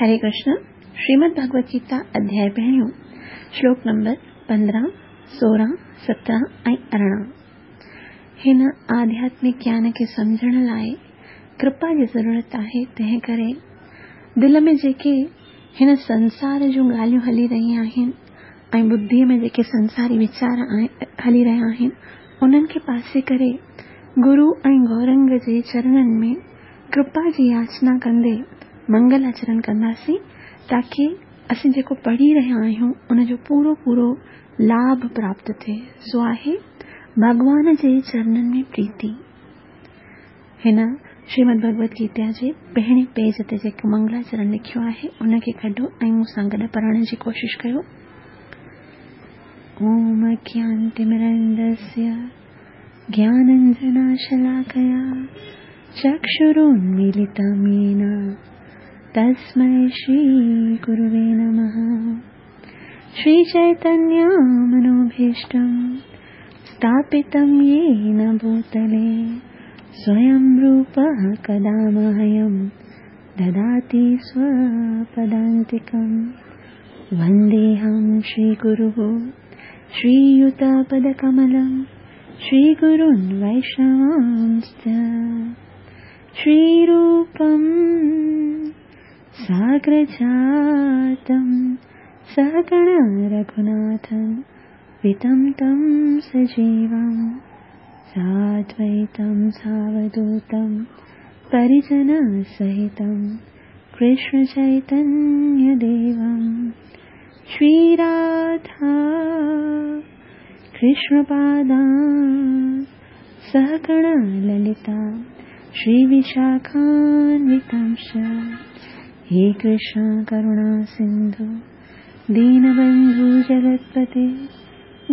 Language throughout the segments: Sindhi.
هري ڪرشن، شريمد ڀڳوت گيتا اڌياء پهريون، شلوڪ نمبر 15، 16، 17 ۽ 18. هن آڌياتمڪ گيان کي سمجهڻ لاء ڪرپا جي ضرورت آهي، تنهن ڪري دل ۾ جيڪي هن سنسار جون ڳالهيون هلي رهيون آهن ۽ ٻڌيء ۾ جيڪي سنساري ويچار هلي رهيا آهن، انهن کي پاسي ڪري گرو ۽ گورنگ جي چرنن ۾ ڪرپا جي ياچنا ڪندي منگل آچرڻ ڪنداسين تاڪي اسين جيڪو پڙهي رهيا آهيون ان جو پورو پورو لاڀ پراپت ٿئي. سو آهي ڀڳوان جي چرنن ۾ پريتي. هن شريمد ڀڳوت گيتا جي پهرين پيج تي جيڪو منگلاچرڻ لکيو آهي ان کي ڪڍو ۽ مون سان گڏ پڙهڻ جي ڪوشش ڪيو. اوم اگيانتمرندسيه گيانانجناشلاڪيا چڪشرونميلتم يين تسمي شري گروي نمه. شري چيتنيه منوڀيشٽم ستاپتم يين ڀوتلي سويم روپه ڪدا مهيم دداتي سوپدانتڪم. ونديهم شري گروء شري يوت پدڪملم شري گرون ويشنوانسچ شري روپم ساگرجاتم سهگڻ رگهوناٿم وتم تم سجيوم سادويتم ساوڌوتم پريجن سهتم ڪرشن چيتنيه ديوم شري راڌا ڪرشن پادان سهگڻ للتا شري وشاکانوتمش. هي ڪرشن ڪروڻا سنڌو دينبنڌو جگتپتي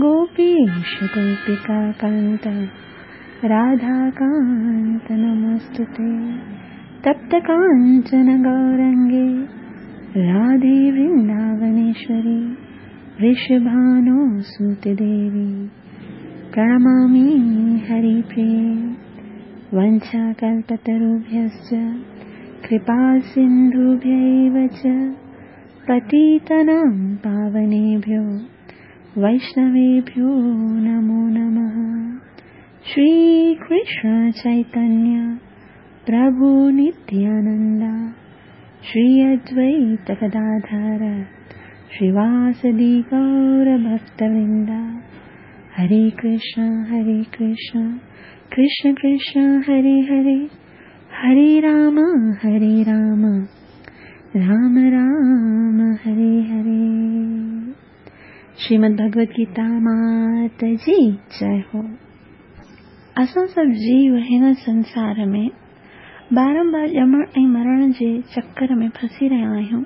گوپيش گوپيڪا ڪانت راڌا ڪانت نموستتي. تپت ڪانچن گورنگي راڌي ورنداونيشوري ورشڀانو سوت ديوي پرڻمامي هري پريي. ونڇا ڪلپتروڀيشچ ڪرپا سنڌوڀيو چ پتيتنام پاونيڀيو ويشنويڀيو نمو نمه. شري ڪرشن چيتنيه پرڀو نتيانند شري ادويت گداڌر شريواسدي گور ڀڪت ورند. هري ڪرشن هري ڪرشن ڪرشن ڪرشن هري هري هري رام هري رام رام رام هري هري. شريمد ڀڳوت گيتا مات جي جئي هو. اسان سڀ جيو هن سنسار ۾ بارمبار ڄمڻ ۽ مرڻ جي چڪر ۾ ڦسي رهيا آهيون.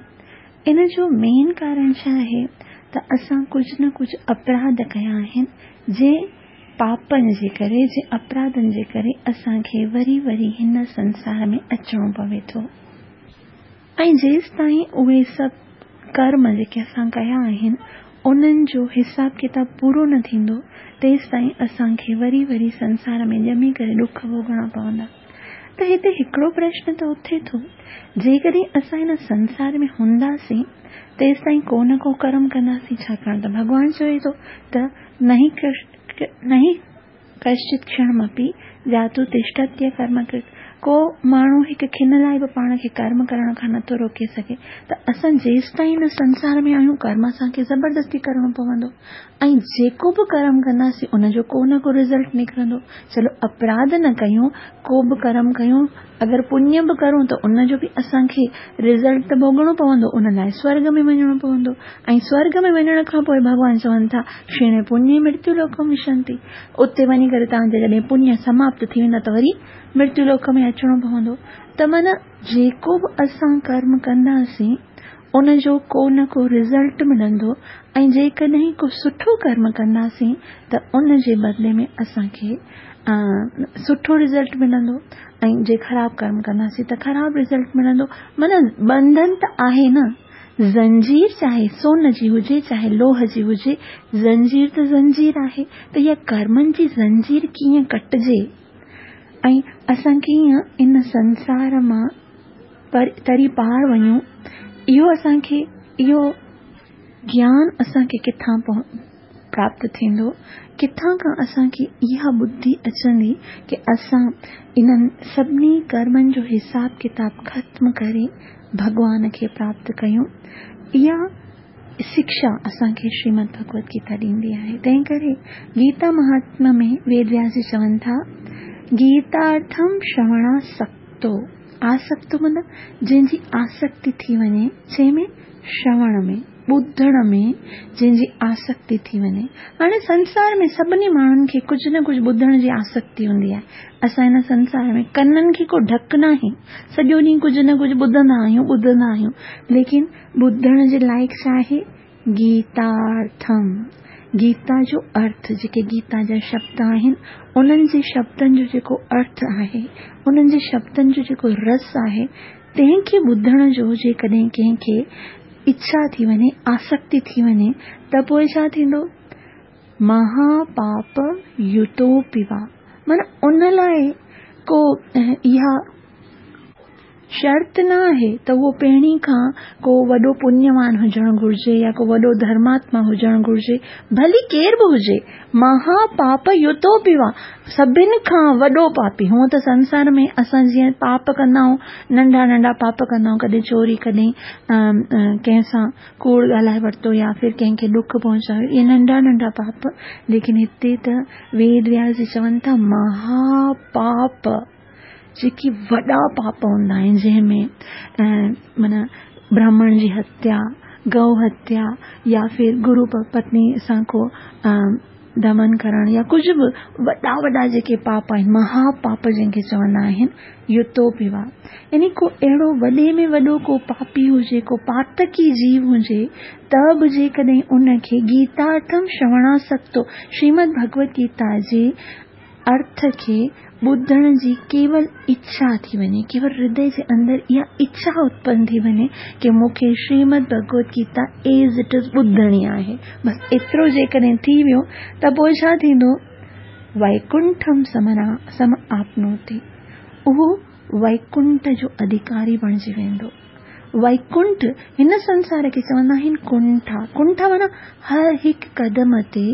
ان جو مين ڪارڻ ڇا آهي ته اسان ڪجهه نه ڪجهه اپراڌ ڪيا آهن، جنهن پاپن جي ڪري، جنهن اپراڌن جي ڪري اسان کي وري وري هن سنسار ۾ اچڻو پوي ٿو. ۽ جيستائين اهي سڀ ڪرم جيڪي اسان ڪيا آهن انهن جو حساب ڪتاب پورو نه ٿيندو، تيستائين اسان کي وري وري سنسار ۾ ڄمي ڪري ڏک ڀوڳڻا پوندا. ته هتي هڪڙو پرشن ته اٿي ٿو، جيڪڏهن اسان هن سنسار ۾ هونداسين تيستائين ڪو نه ڪو ڪرم ڪنداسين، ڇاڪاڻ ته ڀڳوان چوي ٿو ته نهي ڪشچت ڪشڻمپي جاتو تشٺتي ڪرم ڪرت، ڪو ماڻهو هڪ کن لاء به پاڻ کي ڪرم ڪرڻ کان نٿو روڪي سگهي. ته اسان جيستائين هن سنسار ۾ آهيون ڪرم اسان کي زبردستي ڪرڻو پوندو ۽ جيڪو به ڪرم ڪنداسين ان جو ڪو نه ڪو رزلٽ نڪرندو. چلو اپراڌ نه ڪيون، ڪو به ڪرم ڪيون، اگر پڃ به ڪرون ته ان جو به اسان کي رزلٽ ته ڀوڳڻو پوندو، ان لاء سورڳ ۾ وڃڻو پوندو ۽ سورڳ ۾ وڃڻ کان پوء ڀڳوان چون ٿا ڪشيڻي پڃي مرتيو لوڪم وشنتي، اتي وڃي ڪري توهان جا جڏهن پڃ سماپت ٿي ويندا ته وري مرتيو لوڪ ۾ اچڻو پوندو. ته معنيٰ جيڪو به اسان ڪرم ڪنداسين ان جو ڪو نه ڪو رزلٽ ملندو ۽ جيڪڏهن ڪو سٺو ڪرم ڪنداسين ته ان جي بدلي ۾ اسان کي سٺو رزلٽ ملندو ۽ جي خراب ڪرم ڪنداسين ته خراب رزلٽ ملندو. معنيٰ ٻنڌن ته آهي نه، زنجير چاهي سون جي هجي چاهي لوهه جي هجي، زنجير ته زنجير آهي. ته اها ڪرمن جي زنجير ڪيئن ڪٽجي ۽ اسان ڪيئن ان سنسار مان تري پار وڃون، اهو اسان کي اهو گيان اسان کي ڪٿان پراپت ٿيندو؟ ڪٿان کان اسان کي اها ٻڌي اچندي ڪي اسان انهن سڀني ڪرمن جو حساب ڪتاب ختم ڪري ڀڳوان کي پراپت ڪيون؟ اها شڪشا اسان کي شريمد ڀڳوت گيتا ڏيندي آهي. تنهن ڪري گيتا مهاتميه ۾ ويد وياس جي چون ٿا، گيتارٿم شروڻاسڪتو، آسڪتو مطلب جنهن جي آسڪتي ٿي وڃي، جنهن ۾ شروڻ ۾، ٻڌڻ ۾ جنهن جي آسڪتي ٿي وڃي. هاڻي سنسار ۾ سڀني ماڻهن کي ڪجهه نه ڪجهه ٻڌڻ جي آسڪتي هوندي آهي. اسان هن سنسار ۾ ڪنن کي ڪو ڍڪ ناهي، سڄو ڏينهن ڪجهه نه ڪجهه ٻڌندا آهيون، ٻڌندا آهيون، ليڪن ٻڌڻ جي لائق ڇا آهي؟ گيتارٿم، گيتا جو ارٿ، جيڪي گيتا جا شبد آهن، انهن جي شبدن جو جيڪو ارٿ آهي، انهن جي شبدن جو جيڪو رس آهي، تنهن کي ٻڌڻ جو جيڪڏهن ڪنهن کي اڇا ٿي وڃي، آسڪتي ٿي وڃي ته پوء ڇا ٿيندو؟ مها پاپ يوتوپي وا، معنيٰ ان لاء ڪو اها شرط نه آهي ته اهو پهرين کان ڪو وڏو پڃوان هجڻ گهرجي يا ڪو وڏو ڌرماتما هجڻ گهرجي، ڀلي ڪير به هجي، مها پاپ يوتوپي وا، سڀن کان وڏو پاپي. هونء ته سنسار ۾ اسان جيئن پاپ ڪندا آهيون، ننڍا ننڍا پاپ ڪندا آهيون، ڪڏهن چوري، ڪڏهن ڪنهن سان ڪوڙ ڳالهائي ورتو يا ڦر ڪنهن کي ڏک پهچايو، اهي ننڍا ننڍا پاپ، ليڪن هتي ته ويد وياس جي چون ٿا مها پاپ، جيڪي وڏا پاپ هوندا آهن، جنهن ۾ معنيٰ برهمڻ جي هتيا، گئو هتيا يا ڦر گرو پتني سان ڪو دمن ڪرڻ يا ڪجهه به وڏا وڏا جيڪي پاپ آهن، مها پاپ جنهن کي چوندا آهن، يوتوپي وا، يعني ڪو اهڙو وڏي ۾ وڏو ڪو پاپي هجي، ڪو پاتڪي جيو هجي ته به جيڪڏهن ان کي گيتارٿم شروڻاسڪتو، شريمد ڀڳوت گيتا جي ارٿ کي ٻڌڻ جي ڪيول اڇا ٿي وڃي، ڪيول هردي جي اندر اها اڇا اتپن ٿي وڃي ڪي مون کي شريمد ڀڳوت گيتا ايز it از ٻڌڻي آهي، بس ايترو جيڪڏهن ٿي ويو ته پوء ڇا ٿيندو؟ ويڪنٺم سم آپنوتي، اهو ويڪنٺ جو اڌيڪاري بڻجي ويندو. ويڪنٺ هن سنسار کي چوندا آهن ڪنٺا، ڪنٺا معنيٰ هر هڪ قدم تي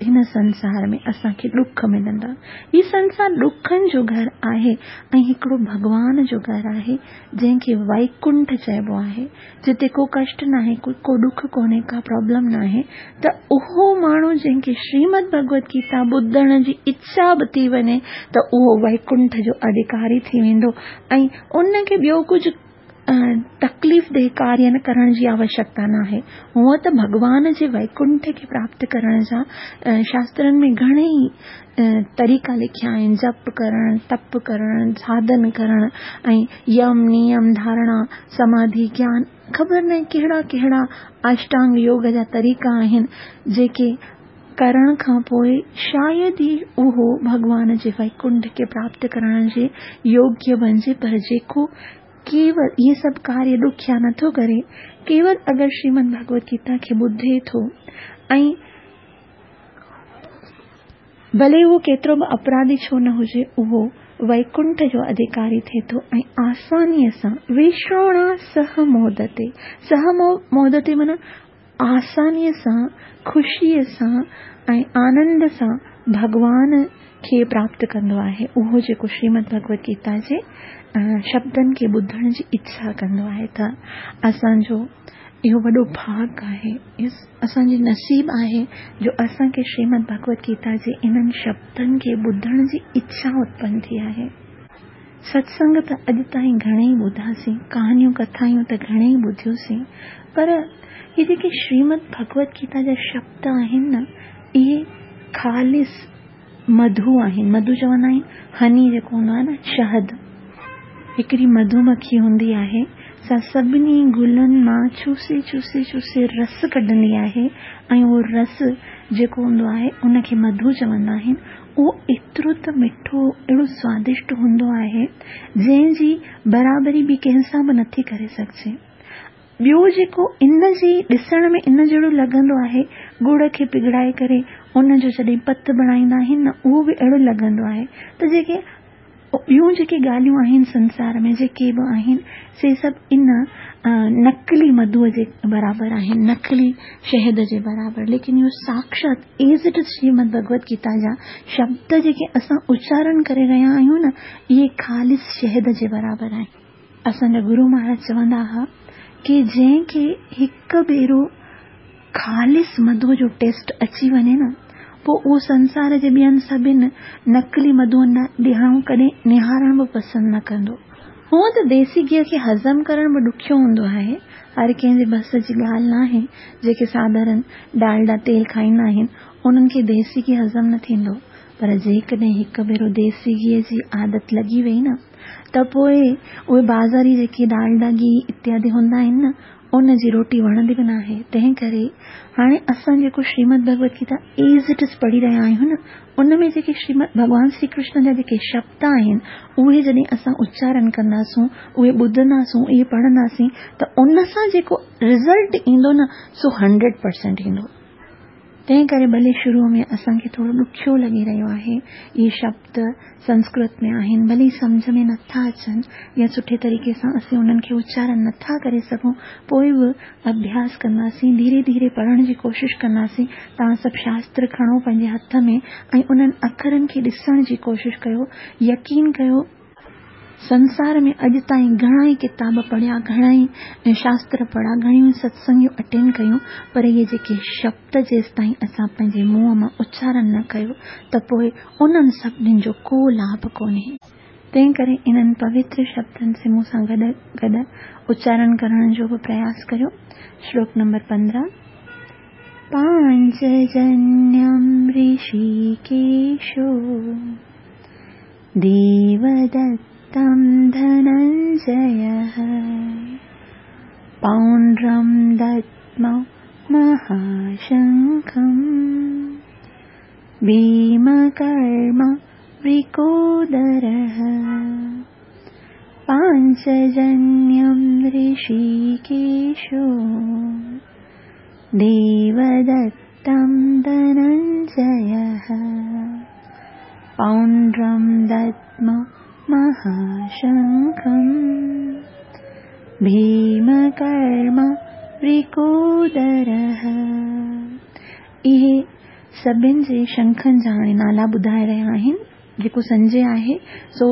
هن سنسار ۾ اسان کي ڏک ملندا. هي سنسار ڏکن جو گهر آهي ۽ هڪڙو ڀڳوان جو گهر آهي جنهن کي ويڪنٺ چئبو آهي، جتي ڪو ڪشٽ ناهي، ڪو ڏک ڪونهي، ڪا پرابلم ناهي ته اهو ماڻهو جنهن کي شريمد ڀڳوت گيتا ٻڌڻ جي اڇا به ٿي وڃي ته اهو ويڪنٺ جو اڌيڪاري ٿي ويندو ۽ ان کي ٻيو ڪجهه تڪليف ده ڪاريه نه ڪرڻ جي آوشيڪتا ناهي. هونء ته ڀڳوان جي ويڪنٺ کي پراپت ڪرڻ جا شاسترن ۾ گهڻيئي طريقا لکيا آهن، جپ ڪرڻ، تپ ڪرڻ، ساڌن ڪرڻ ۽ يم، نيم، ڌارڻا، سماڌي، گيان، خبر ناهي ڪهڙا ڪهڙا اشٽانگ يوگ جا طريقا آهن، جيڪي ڪرڻ کان پوء شايد ئي اهو ڀڳوان جي ويڪنٺ کي پراپت ڪرڻ جي يوگيه بڻجي، پر جيڪو ڪيول اهي سڀ ڪاريه ڏکيا نٿو ڪري، ڪيول اگر شريمد ڀڳوت گيتا کي ٻڌي ٿو ۽ ڀلي اهو ڪيترو به اپراڌي ڇو نه هجي، اهو ويڪنٺ جو اڌيڪاري ٿئي ٿو ۽ آسانيء سان وشڻا سه مودتي، سه مودتي معنيٰ آسانيء سان، خوشيء سان ۽ آنند سان ڀڳوان کي پراپت ڪندو آهي، اهو جيڪو شريمد ڀڳوت گيتا جي شبدن کي ٻڌڻ جي اڇا ڪندو آهي ته اسان جو اهو وڏو ڀاڳ آهي، اسان جي نصيب آهي جو اسان کي شريمد ڀڳوت گيتا جي انهن شبدن کي ٻڌڻ جي اڇا اتپن ٿي آهي. ستسنگ ته اڄ تائين گهڻيئي ٻڌاسين، ڪهاڻيون ڪٿايون ته گهڻيئي ٻڌيوسين، پر هي جيڪي شريمد ڀڳوت گيتا جا شبد آهن نه، اهي خالص مڌو آهن. مڌو چوندا آهن هني جيڪو هوندو آهي نه، شهد. هڪڙي مڌو مکي هوندي آهي، سا سڀني گلن مان چوسي چوسي چوسي رس ڪڍندي آهي ۽ اهو رس جيڪو هوندو آهي، ان کي مڌو چوندا آهن. اهو ايترو ته مٺو، اهڙو سوادشٽ هوندو آهي، جنهن جي برابري ٻي ڪنهن سان به نٿي ڪري سگهجي. ٻيو جيڪو ان جي ڏسڻ ۾ ان جهڙو لڳندو آهي، ڳڙ کي پگهڙائي ڪري ان جو جڏهن پت بڻائيندا آهن نه، اهو به اهڙو لڳندو آهي ته جيڪي. ٻيون جيڪي ڳالهيون آهن سنسار ۾ جيڪي به آهن سي سڀ ان نقلي مڌوء جي برابر آهن، نقلي شهد جي برابر، ليڪن اهو ساڪشات ايز it از شريمد ڀڳوت گيتا جا شبد جيڪي اسان اچارن ڪري رهيا آهيون نه اهي خالص شهد جي برابر آهن. اسان جا گرو مهاراج چوندا ها ڪي جنهن کي هڪ ڀيرو خالص مڌوء جو ٽيسٽ اچي وڃي نه پوء اهو سنسار جي ٻين سڀن نقلي مڌوئن ڏانهن ڪڏهن نهارڻ به پسند نه ڪندو. هونء ته ديسي گيهه کي هضم ڪرڻ به ڏکيو هوندو آهي، هر ڪنهن جي بس جي ڳالهه ناهي، جيڪي ساڌارن ڊالڊا تيل کائيندا آهن، انهن کي ديسي گيهه هضم نه ٿيندو، پر جيڪڏهن هڪ ڀيرو ديسي گيهه جي عادت لڳي وئي نه ته پوء اهي بازاري جيڪي ڊالڊا گيهه اتيادي هوندا آهن نه ان جي روٽي وڻندي به ناهي، تنهن ڪري هاڻي اسان جيڪو شريمد ڀڳوت گيتا ايز it از پڙهي رهيا آهيون نه ان ۾ جيڪي شريمد ڀڳوان شري ڪرشن جا جيڪي شبد آهن اهي جڏهن اسان اچارن ڪنداسون اهي ٻڌنداسون اهي پڙهنداسين ته ان سان جيڪو رزلٽ ايندو نه سو هنڊريڊ پرسينٽ ايندو. تنهن ڪري ڀلي شروع ۾ اسان کي ٿورو ڏکيو لڳي رهيو آهي، اهي شبد سنسڪرت ۾ آهن، ڀلي سمجهه ۾ نٿا اچن يا سٺي طريقي سان اسين انهن کي اچارن نٿا ڪري سگهون، پوء به اڀياس ڪنداسين، ڌيري ڌيري پڙهڻ جي ڪوشش ڪنداسين. توهان سڀ شاستر کڻو پنهنجي هٿ ۾ ۽ انهن اکرن کي ڏسڻ جي ڪوشش ڪيو، يقين ڪيو، سنسار ۾ اڄ تائين گهڻا ئي ڪتاب پڙهيا، گهڻا ئي شاستر پڙهيا، گهڻيون ئي ستسنگيون اٽينڊ ڪيون، پر اهي جيڪي شبد جيستائين اسان پنهنجي منهن مان اچارن نه ڪيو ته پوء انهن سڀني جو ڪو لاڀ ڪونهي. تنهن ڪري انهن پوتر شبدن سي مون سان گڏ گڏ اچارن ڪرڻ جو به پرياس ڪريو. شلوڪ نمبر 15. پانچجنيم رشيڪيشو. ديودتم ڌننجيه پونڊرم ددمو مهاشنکم ڀيمڪرما ورڪودرः پانچجنيم رشيڪيشو ديودتم ڌننجيه پونڊرم ددمو مهاشنکم ڀيمڪرما ورڪودرः. اهي سڀن جي شنکن جا هاڻي نالا ٻڌائي رهيا آهن. جيڪو سنجي آهي سو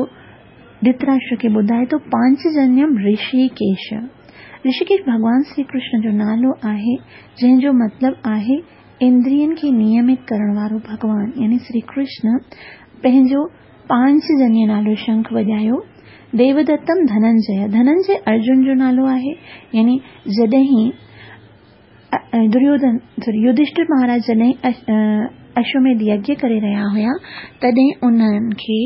ڌرتراشٽر کي ٻڌائي ٿو پانچجنيم رشيڪيش. رشيڪيش ڀڳوان شري ڪرشن جو نالو آهي جنهن جو مطلب آهي اندرين کي نيمت ڪرڻ وارو ڀڳوان يعني شري ڪرشن پنهنجو پانچجنيه نالو شنک وڄايو. ديودتم ڌننجيه، ڌننجيه ارجن جو نالو آهي يعني جڏهن دريوڌن سوري يڌشٺر مهاراج جڏهن اشوميڌ يگيه ڪري رهيا هيا تڏهن انهن کي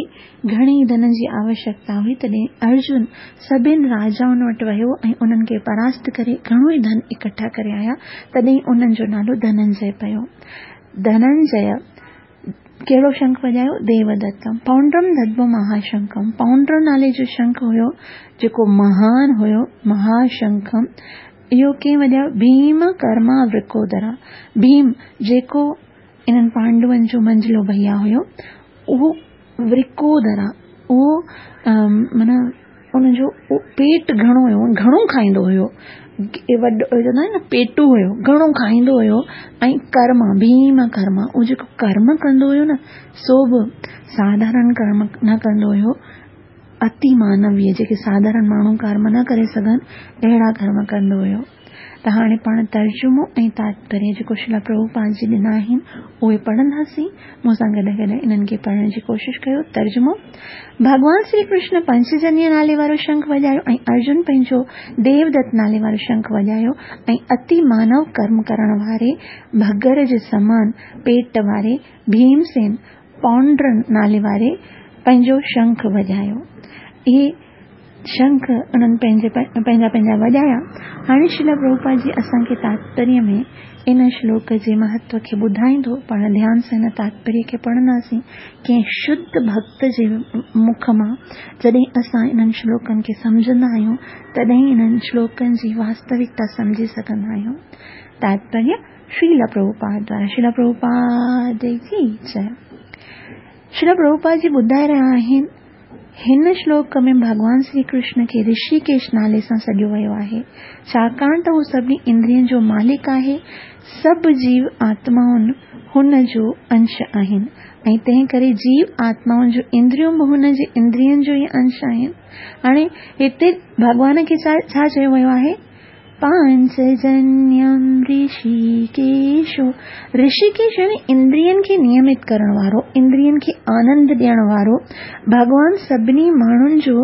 گهڻي ڌن جي آوشيڪتا هئي تڏهن ارجن سڀن راجائن وٽ ويو ۽ انهن کي پراست ڪري گهڻو ئي ڌن اڪٺا ڪري آيا تڏهن انهن جو نالو ڌننجي پيو. ڌننجي ڪهڙو شنک وڄايو؟ ديودتم پونڊرم ددمو مهاشنکم پونڊر نالي جو شنک هيو جيڪو مهان هيو مهاشنکم اهو ڪنهن وڄايو؟ ڀيم ڪرما ورڪودرا ڀيم جيڪو انهن پانڊون جو منجهلو ڀئيا هيو اهو ورڪودرا اهو معنيٰ ان جو پيٽ گهڻو هيو گهڻو کائيندو هيو وڏو چوندا آهن نه پيٽو هيو گهڻو کائيندو هيو ۽ ڪرما ڀيم ڪرما اهو جيڪو ڪرم ڪندو هيو نه سو به ساڌارڻ ڪرم نه ڪندو هيو اتي مانويه جيڪي ساڌارڻ ماڻهو ڪرم نه ڪري سگهن اهڙا ڪرم ڪندو هيو ته هاڻي پاڻ ترجمو ۽ تاتپريه جيڪو شريلا پرڀوپاد جي ڏنا آهن اهي پڙهنداسين مون سان گڏ گڏ انهن کي پڙهڻ جي ڪوشش ڪيو ترجمو ڀڳوان شري ڪرشن پنچجنيه نالي وارو شنک وڄايو ۽ ارجن پنهنجو ديودت نالي وارو شنک وڄايو ۽ اتي مانو ڪرم ڪرڻ واري ڀڳر جي سمان پيٽ واري ڀيمسين پونڊر نالي واري پنهنجو شنک وڄايو. اهي شنک انهن پنهنجي پنهنجا پنهنجا وڄايا. هاڻي شريلا پرڀوپاد جي اسان کي تاتپريه ۾ ان شلوڪ جي مهتو کي ٻڌائيندو. پاڻ ڌيان سان ان تاتپريه کي پڙهنداسين. ڪنهن شڌ ڀڳت جي مک مان جڏهن اسان انهن شلوڪن کي سمجهندا آهيون، تڏهن انهن شلوڪن جي واستوڪتا سمجهي سگهندا آهيون. تاتپريه شريلا پرڀوپاد دوارا شريلا پرڀوپاد جي جئي. شريلا پرڀوپاد جي ٻڌائي رهيا آهن هن شلوڪ ۾ ڀڳوان شري ڪرشن کي رشيڪيش نالي سان سڏيو ويو آهي، ڇاڪاڻ ته هو سڀني اندرين جو مالڪ آهي، سڀ جيو آتمائون هن جو انش آهن ۽ تنهن ڪري جيو آتمائن جون اندريون به هن جي اندرين جو ئي انش آهن. هاڻي هتي ڀڳوان کي ڇا چيو ويو آهي؟ پانچجنيم رشيڪيشو، رشيڪيش يعني اندرين کي نيمت ڪرڻ وارو، اندرين کي آنند ڏيڻ وارو ڀڳوان سڀني ماڻهن جو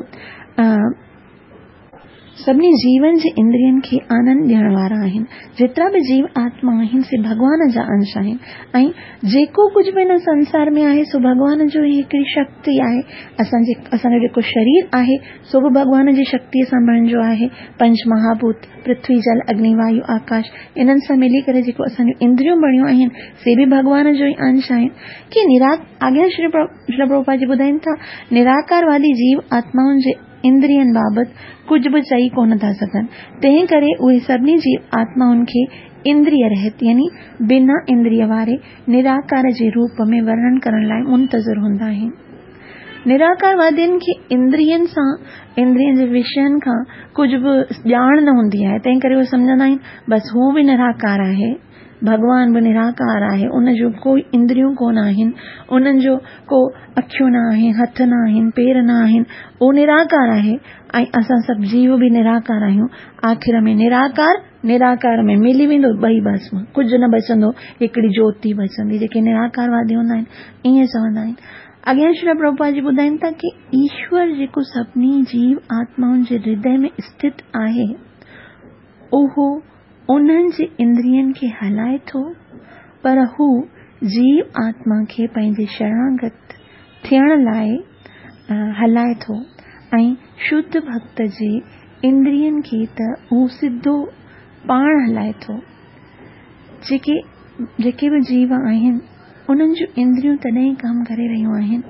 سڀني جيون جي اندرين کي آنند ڏيڻ وارا آهن. جيترا به جيو آتما آهن سي ڀڳوان جا انش آهن ۽ جيڪو ڪجهه به هن سنسار ۾ آهي سو ڀڳوان جو ئي هڪڙي شڪتي آهي. اسان جي اسان جو جيڪو شرير آهي سو به ڀڳوان جي شڪتيء سان بڻجو آهي. پنچ مهاڀوت، پرٿوي، جل، اگني، وايو، آڪاش، انهن سان ملي ڪري جيڪو اسان جون اندريون بڻيون آهن، سي به ڀڳوان جو ئي انش آهن. ڪي نرا اڳيان شري شريل پرڀوپاد جي ٻڌائين ٿا، نراڪاروادي جيو آتمائن جي اندرين بابت ڪجهه به چئي ڪونه ٿا سگهن، تنهن ڪري اهي سڀني جيو آتمائن کي اندريه رهت يعني بنا اندريه واري نراڪار جي روپ ۾ ورڻن ڪرڻ لاء منتظر هوندا آهن. نراڪاروادين کي اندرين سان، اندرين جي وشين کان ڪجهه به ڄاڻ نه هوندي آهي، تنهن ڪري اهي سمجهندا آهن بس هو به نراڪار آهي، ڀڳوان به نراڪار آهي، ان جون ڪوئي اندريون ڪونه آهن، انهن جو ڪو اکيون نه آهن، هٿ نه آهن، پير نه آهن، اهو نراڪار آهي ۽ اسان سڀ جيو به نراڪار آهيون، آخر ۾ نراڪار نراڪار ۾ ملي ويندو، ٻئي ڀسم، ڪجهه نه بچندو، هڪڙي جوتي بچندي، جيڪي نراڪاروادي هوندا آهن ائين چوندا آهن. اڳيان شريل پرڀوپاد جي ٻڌائين ٿا ڪي ايشور جيڪو سڀني جيو آتمائن جي هردي ۾ اسٿت آهي اهو انهن جي اندرين کي هلائي ٿو پر هو جيو آتما کي پنهنجي شرڻاگت ٿيڻ لاء هلائي ٿو ۽ شڌ ڀڳت جي اندرين کي ته هو سڌو پاڻ هلائي ٿو. جيڪي جيڪي به جيو آهن انهن جون اندريون تڏهن ڪم ڪري رهيون آهن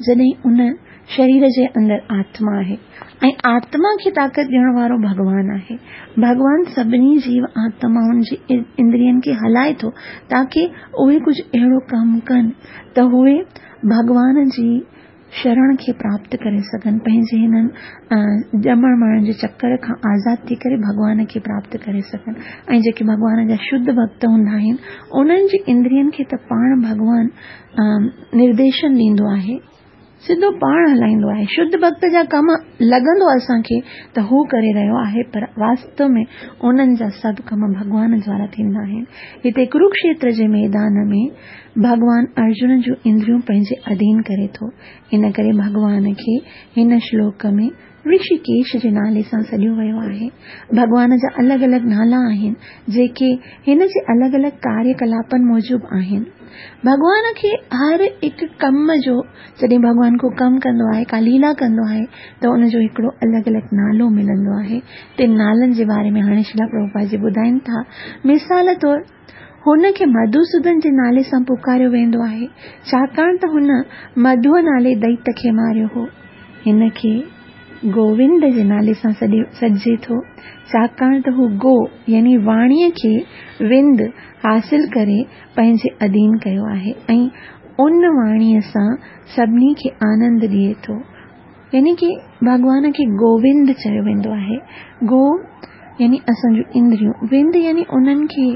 جڏهن ان شرير جي اندر آتما آهي ۽ آتما کي طاقت ڏيڻ وارو ڀڳوان آهي. ڀڳوان سڀني جيو آتمائن جي اندرين کي هلائي ٿو تاڪه اهي ڪجهه اهڙو ڪم ڪن ته اهي ڀڳوان جي شرڻ کي پراپت ڪري سگهن، پنهنجي هنن ڄمڻ مرڻ جي چڪر کان آزاد ٿي ڪري ڀڳوان کي پراپت ڪري سگهن ۽ جيڪي ڀڳوان جا شڌ ڀڳت هوندا آهن انهن جي اندرين کي ته پاڻ ڀڳوان نرديشن ڏيندو آهي، سڌو پاڻ هلائيندو آهي، شڌ ڀڳت جا ڪم لڳندو اسان کي ته هو ڪري رهيو آهي پر واستو ۾ انهن جا سڀ ڪم ڀڳوان دوارا ٿيندا آهن. هتي ڪروڪشيتر جي ميدان ۾ ڀڳوان ارجن جون اندريون پنهنجي اڌين ڪري ٿو، ان ڪري ڀڳوان کي هن شلوڪ ۾ رشيڪيش جي نالي سان سڏيو ويو آهي. ڀڳوان جا الڳ الڳ نالا آهن، جيڪي هن جي الڳ الڳ ڪاريه ڪلاپن موجب آهن. ڀڳوان کي هر هڪ ڪم جو جڏهن ڀڳوان ڪو ڪم ڪندو آهي، ڪا ليلا ڪندو آهي ته ان جو هڪڙو الڳ الڳ نالو ملندو آهي. تن نالن جي باري ۾ هاڻي شريلا پرڀوپاد جي ٻڌائين ٿا. مثال طور. هن کي مڌوسودن جي نالي سان پڪاريو ويندو آهي، ڇاڪاڻ ته هن مڌوء نالي دئيت کي ماريو هو. هن کي گووند جي نالي سان سڏجي ٿو، ڇاڪاڻ ته هو گو يعني واڻيء کي وند حاصل ڪري پنهنجي اڌين ڪيو آهي ۽ ان واڻيء سان سڀني کي آنند ڏئي ٿو. يعني ڪي ڀڳوان کي گووند چيو ويندو آهي. گو يعني اسان جون اندريون، وند يعني انهن کي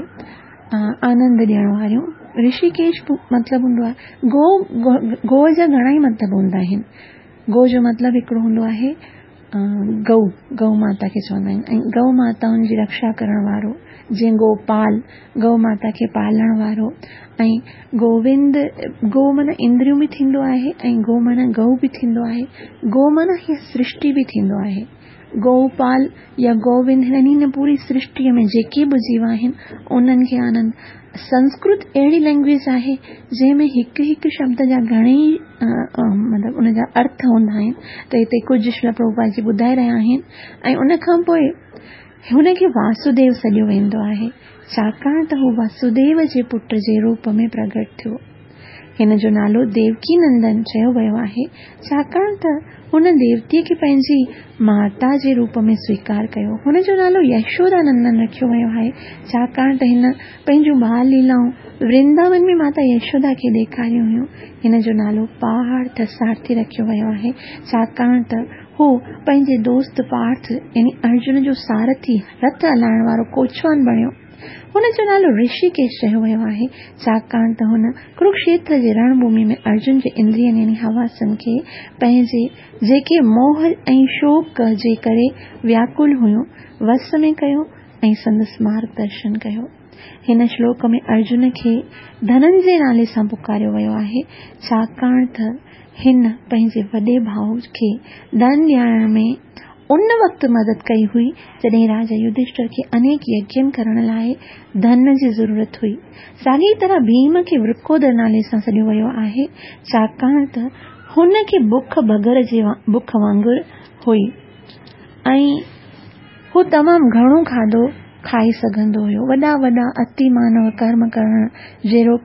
آنند ڏيڻ واريون. رشيڪيش مطلب هوندو آهي گو، گو جا گهڻا ئي مطلب هوندا آهن. گو جو مطلب هڪڙو هوندو آهي گئو، گئو ماتا کي چوندا آهن ۽ گئو ماتائن جي رڪشا ڪرڻ وارو، جيئن گوپال، گئو ماتا کي پالڻ وارو ۽ گووند، گو معنيٰ اندريون به ٿيندو آهي ۽ گو معنيٰ گئو به ٿيندو آهي، گو معنيٰ هيء سرشٽي به ٿيندو آهي. گوپال يا گووند يعني هن پوري سرشٽيء ۾ جيڪي به جيو آهن، انهن کي آنند. سنسڪرت اهڙي لئنگويج آهي، جنهن ۾ هڪ هڪ شبد جا گهڻيئي مطلب ان جا ارٿ هوندا آهن ته هتي ڪجهه شريلا پرڀوپاد جي ٻڌائي رهيا آهن ۽ ان کان پوء هن کي واسوديو سڏيو ويندو آهي، ڇاڪاڻ ته هو واسوديو جي پٽ جي روپ ۾ پرگهٽ ٿيو. هن جو نالو ديوڪي نندن چيو ويو آهي، ڇاڪاڻ ته هن ديوتيء کي پنهنجي ماتا جي روپ ۾ سويڪار ڪيو. هن جو نالو يشودا نندن رکيو ويو آهي، ڇاڪاڻ ته هن پنهنجون ٻال ليلائون ورنداون ۾ ماتا يشودا کي ڏيکاريون هيون. هن جو نالو پارٿ سارٿي رکيو ويو آهي، ڇاڪاڻ ته هو پنهنجي دوست پارٿ يعني ارجن جو سارٿي، رٿ هلائڻ وارو ڪوچوان بڻيو. هن جو نالو رشيڪيش چيو ويو آهي، ڇاڪاڻ ته هن ڪروڪشيتر جي رڻ ڀومي ۾ ارجن جي اندرين يعني حواسن کي پنهنجي، جيڪي موهه ۽ شوق جي ڪري وياڪل هيون، وس ۾ ڪيو ۽ سندس مارگ درشن ڪيو. هن شلوڪ ۾ ارجن کي ڌننجي نالي سان پڪاريو ويو آهي، ڇاڪاڻ ته هن پنهنجي وڏي ڀاء کي ڌن ڏيارڻ ۾ ان وقت مدد ڪئي هئي، جڏهن راجا يڌشٽر کي انيڪ يگين ڪرڻ لاء ڌن جي ضرورت هئي. ساڳيء طرح ڀيم کي ورڪودر نالي سان سڏيو ويو آهي، ڇاڪاڻ ته هن کي بک بگر جي بک وانگر هئي ۽ هو تمام گهڻو کاڌو کائي سگهندو هيو. وڏا وڏا اتي مانو ڪرم ڪرڻ جهڙوڪ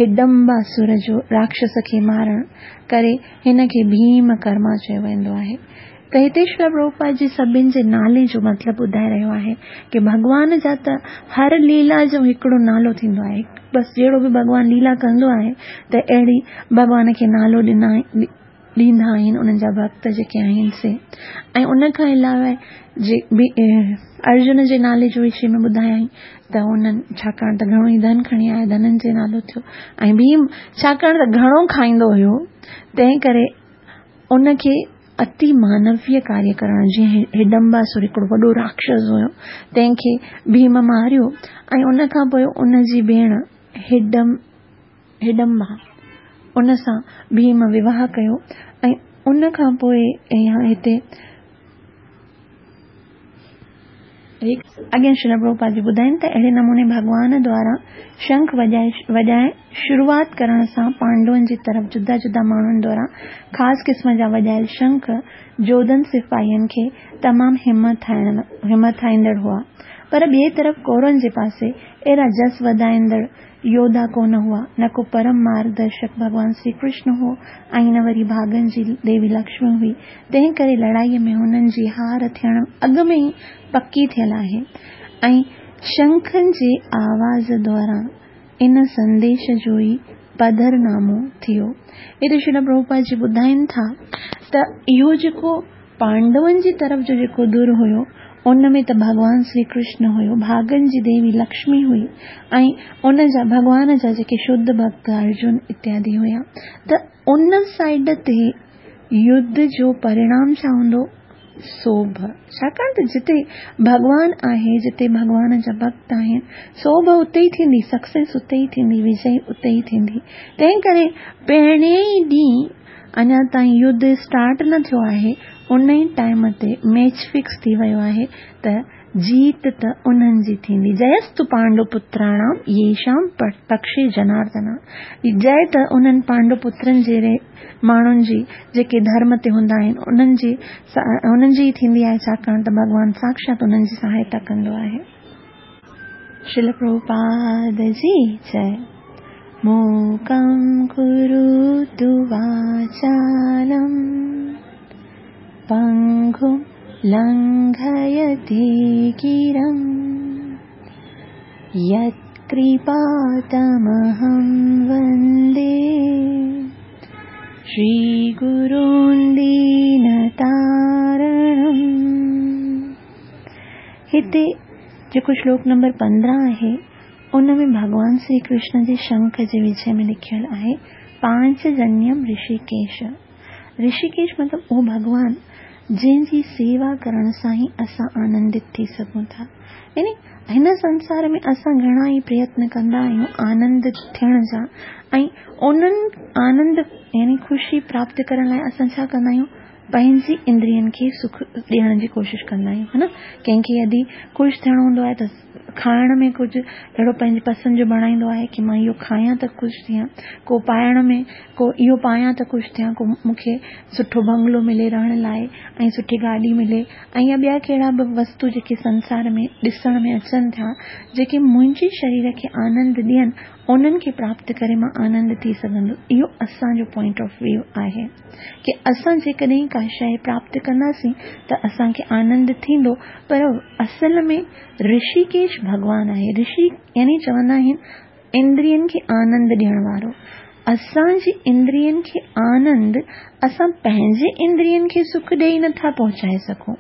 هڊمباسر جو راڪشس کي مارڻ ڪري هن کي ڀيم ڪرما چيو ويندو آهي. ته هتي شريلا پرڀوپاد جي سڀن جي نالي جو مطلب ٻڌائي رهيو آهي ڪي ڀڳوان جا ته هر ليلا جو هڪڙو نالو ٿيندو آهي بس جهڙو به ڀڳوان ليلا ڪندو آهي ته اهڙي ڀڳوان کي نالو ڏنا ڏيندا آهن انهن جا ڀڳت جيڪي آهن سي ۽ ان کان علاوه جي به ارجن جي نالي جو وشي ۾ ٻڌايائين ته انهن ڇاڪاڻ ته گهڻو ئي ڌن کڻي آيا ڌنن جي نالو ٿيو ۽ ڀيم ڇاڪاڻ ته گهڻو کائيندو هيو تنهن ڪري ان کي اتي مانويه ڪاريه ڪرڻ جيئن هڊمباسر هڪڙو وڏو راڪشس هيو تنهن کي ڀيم ماريو ۽ ان کان پوء ان جي ڀيڻ هڊم هڊمبا ان سان ڀيم وواهه ڪيو ۽ ان کان پوء هتي اڳيان شريلا پرڀوپاد جي ٻڌائين ته اهڙي نموني ڀڳوان دوارا شنک وڄائڻ شروعات ڪرڻ سان پانڊون جي طرف جدا جدا ماڻهن دوارا خاص قسم جا وڄايل شنک جوڌن سپاهين کي تمام همٿائيندڙ هئا پر ٻئي طرف ڪورون جي پاسي اهڙا جس وڌائيندڙ يوڌا ڪونه هئا، نه ڪو پرم مارگ درشڪ ڀڳوان سري ڪرشن هو ۽ نه وري ڀاڳن جي ديوي لڪشمي هئي، تنهن ڪري لڙائيء ۾ هنن جي هار ٿيڻ اڳ ۾ ئي پڪي ٿيل آهي ۽ شنکن جي آواز دوران ان سنديش جو ئي پڌرنامو ٿيو. هتي شريلا پرڀوپاد جي ٻڌائين ٿا ته اهو جيڪو پانڊون جي طرف جو جيڪو ڌر هيو، ان ۾ ته ڀڳوان سري ڪرشن هيو، ڀاڳن جي ديوي لڪشمي هئي ۽ ان جا ڀڳوان جا جيڪي شڌ ڀڳت ارجن اتيادي هيا ته ان سائيڊ تي يڌ جو پرڻام ڇا هوندو؟ سوڀ. ڇاڪاڻ ته جتي ڀڳوان آهي، جتي ڀڳوان جا ڀڳت آهن، سوڀ اتي ئي ٿيندي، سڪسيس اتي ئي ٿيندي، وجئي اتي ئي ٿيندي. تنهن ڪري پهرين ئي ڏينهن اڃا تائين يڌ اسٽارٽ نه ٿيو آهي ان ئي ٽائيم تي ميچ فڪس ٿي ويو آهي ته جيت ته انهن جي ٿيندي جيستو پانڊو پتراڻام ييشام پڪشي جناردنا جئي ته انهن پانڊو پترن جهڙي ماڻهن جي جيڪي ڌرم تي هوندا آهن انهن جي انهن جي ئي ٿيندي آهي ڇاڪاڻ ته ڀڳوان ساڪشات انهن جي سهائتا ڪندو آهي. شريل پرڀوپاد جي جئي. موڪم ڪروتو واچالم پنگم لنگهيتي گرم يت ڪرپا تمهم وندي شري گرون دين تارڻم. هتي جيڪو شلوڪ نمبر 15 آهي ان ۾ ڀڳوان سري ڪرشن جي شنک جي وشي ۾ لکيل آهي، پانچ جنيم رشيڪيش. رشيڪيش مطلب اهو ڀڳوان جنهن جي سيوا ڪرڻ سان ئي اسان آنندت ٿي سگهون ٿا. يعني هن سنسار ۾ اسان گهڻا ئي پريتن ڪندا آهيون آنندت ٿيڻ جا ۽ انهن آنند يعني خوشي پراپت ڪرڻ لاء اسان ڇا ڪندا آهيون پنهنجي اندرين کي سک ڏيڻ جي ڪوشش ڪندا آهيون ها نه ڪنهن کي يدي خوش ٿيڻو هوندو آهي ته کائڻ ۾ ڪجهه اهڙو پنهنجي پسند جو بڻائيندو آهي ڪي مان اهو کايان ته خوش ٿيان، ڪو پائڻ ۾ ڪو اهو پايان ته خوش ٿيان، ڪو مون کي سٺو بنگلو ملي رهڻ لاء ۽ سٺي گاڏي ملي ۽ يا ٻيا ڪهڙا به وستو جيڪي سنسار ۾ ڏسڻ ۾ اچن ٿا جيڪي منهنجي شرير کي آنند ڏين انهن کي پراپت ڪري مان آنند ٿي سگهندس اهو اسان جو پوائنٽ آف ويو آهي ڪي اسان جيڪڏهن ڪا شيء پراپت ڪنداسين ته اسان کي آنند ٿيندو پر اصل ۾ رشيڪيش ڀڳوان آهي رشي يعني چوندا آهن اندرين کي آنند ڏيڻ وارو اسان جي اندرين کي آنند اسان پنهنجي اندرين کي سک ڏيئي نٿا پهچائي سگهون.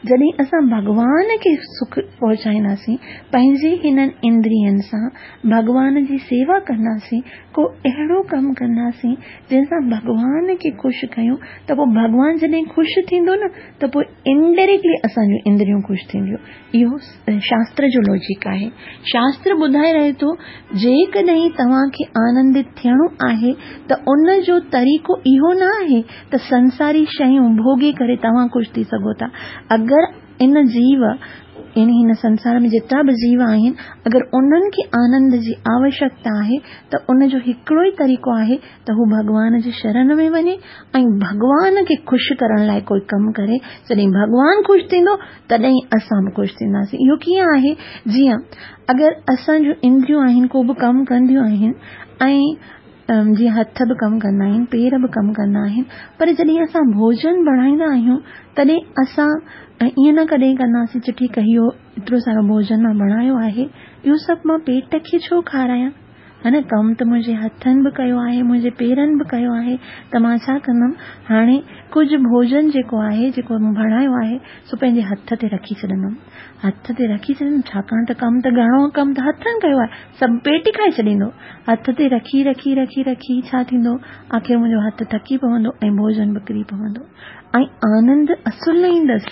جڏهن اسان ڀڳوان کي سک پهچائينداسين، پنهنجي هنن اندرين سان ڀڳوان جي سيوا ڪنداسين، ڪو اهڙو ڪم ڪنداسين جنهن سان ڀڳوان کي خوش ڪيون ته پوء ڀڳوان جڏهن خوش ٿيندو نه ته پوء انڊائريڪٽلي اسان جون اندريون خوش ٿينديون. اهو شاستر جو لاجڪ آهي. شاستر ٻڌائي رهي ٿو جيڪڏهن توهان کي آنندت ٿيڻو آهي ته ان جو طريقو اهو نه آهي ته سنساري شيون ڀوڳي ڪري توهان خوش ٿي سگهو ٿا. اگر ان جيو يعني هن سنسار ۾ جيترا به جيو آهن اگر انهن کي آنند جي آوشڪتا آهي ته ان جو هڪڙو ئي طريقو آهي ته هو ڀڳوان جي شرن ۾ وڃي ۽ ڀڳوان کي خوش ڪرڻ لاء ڪوئي ڪم ڪري. جڏهن ڀڳوان خوش ٿيندو تڏهن اسان به خوش ٿينداسين. اهو ڪيئن آهي؟ جيئن اگر اسان جون اندريون آهن ڪو به ڪم ڪنديون آهن ۽ جيئن هٿ به ڪم ڪندا آهن پير به ڪم ڪندا آهن پر جڏهن اسان ڀوڄن بڻائيندا آهيون تڏهن اسان ائين نه ڪڏهن ڪنداسين چې ٺيڪ آهي اهو ايترو سارو ڀوڄن مان بڻايو آهي اهو سڀ مان پيٽ کي ڇو کارايان؟ ها نه ڪم ته منهنجي هٿن به ڪيو آهي منهنجي پيرن به ڪيو آهي ته مان ڇا ڪندم هاڻي ڪجهه ڀوڄن جيڪو آهي جيڪو مون بڻايو آهي سو پنهنجي هٿ تي رکي ڇڏندم هٿ تي رکي ڇڏندم ڇاڪاڻ ته ڪم ته گهڻو ڪم ته هٿن ڪيو آهي سڀ پيٽ ئي کائي ڇڏيندو هٿ تي رکي رکي رکي رکي ڇا ٿيندو آخر منهنجو هٿ ٿڪي پوندو ۽ ڀوڄن به ڪري پوندو ۽ آنند اصل نه ايندس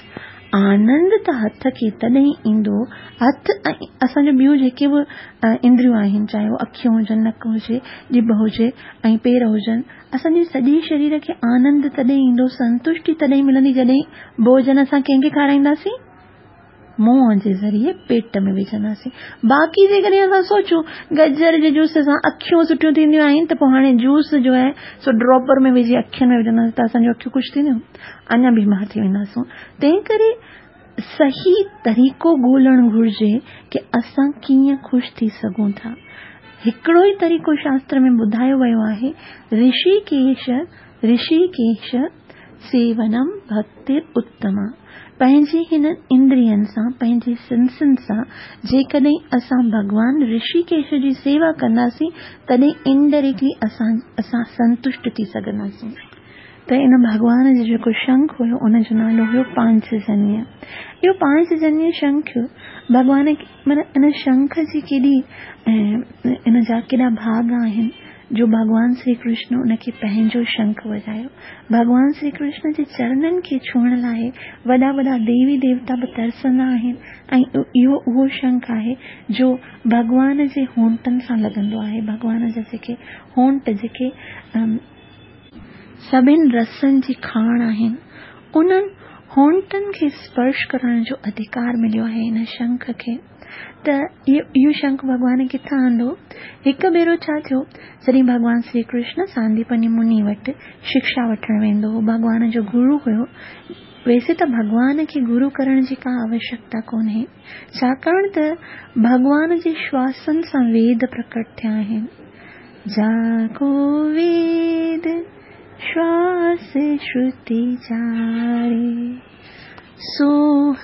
آنند ته هٿ کي تڏهن ايندو، هٿ ۽ اسان جون ٻيون جيڪي به اندريون آهن، چاهي اهي اکيون هجن، نڪ هجي، ڄڀ هجي ۽ پير هجن، اسان جي سڄي شرير کي آنند تڏهن ايندو، سنتشٽي تڏهن ملندي جڏهن ڀوڄن اسان ڪنهن کي کارائينداسين؟ منهن جي ذريعي پيٽ ۾ وجهنداسين. باقي جيڪڏهن اسان سوچون گجر جي جوس سان اکيون سٺيون ٿينديون آهن ته پوء هاڻي جوس جو آهي سو ڊراپر ۾ وجهي اکين ۾ وجهنداسين ته اسان جون اکيون خوش ٿينديون؟ اڃا بيمار ٿي وينداسون. تنهن ڪري صحيح طريقو ڳولڻ گهرجي ڪي اسان ڪيئن خوش ٿي سگهون ٿا. هڪڙو ئي طريقو شاستر ۾ ٻڌايو ويو آهي، رشي ڪيش، رشي ڪيش، سيونم ڀڪتر اتما. پنهنجي هنن اندرين سان، پنهنجي سنسن سان جيڪڏهن اسان ڀڳوان رشي ڪيش جي سيوا ڪنداسين تڏهن انڊائريڪٽلي اسان اسان سنتشٽ ٿي سگهنداسين. ته ان ڀڳوان جو جيڪو شنک هيو ان جو نالو هيو پانچجنيه. اهو پانچجنيه شنک ڀڳوان معنيٰ ان شنک جي ڪيڏي ان جا ڪيڏا ڀاڳ آهن جو ڀڳوان شري ڪرشن ان کي پنهنجو شنک وڄايو. ڀڳوان شري ڪرشن جي چرنن کي ڇهڻ لاء وڏا وڏا ديوي ديوتا به ترسندا آهن ۽ اهو اهو شنک آهي جو ڀڳوان جي هونٽن سان لڳندو آهي. ڀڳوان جا جيڪي هونٽ جيڪي سڀن رسن جي کاڻ آهن. انهن هونٽن کي اسپرش ڪرڻ جو اڌڪار مليو آهي ان شنک کي. ته اهو شنک ڀڳوان ڪٿان آندو؟ هڪ ڀيرو ڇا ٿيو، جڏهن ڀڳوان شري ڪرشن سانديپني مني وٽ شڪشا وٺڻ ويندو هو، ڀڳوان جو گرو هيو. ويسي ته ڀڳوان کي گرو ڪرڻ جي ڪا آوشڪتا ڪونهي، ڇاڪاڻ ته ڀڳوان جي شواسن سان ويد پرڪٽ ٿيا آهن. جا ڪو ويد شواس شروتي چاري، سو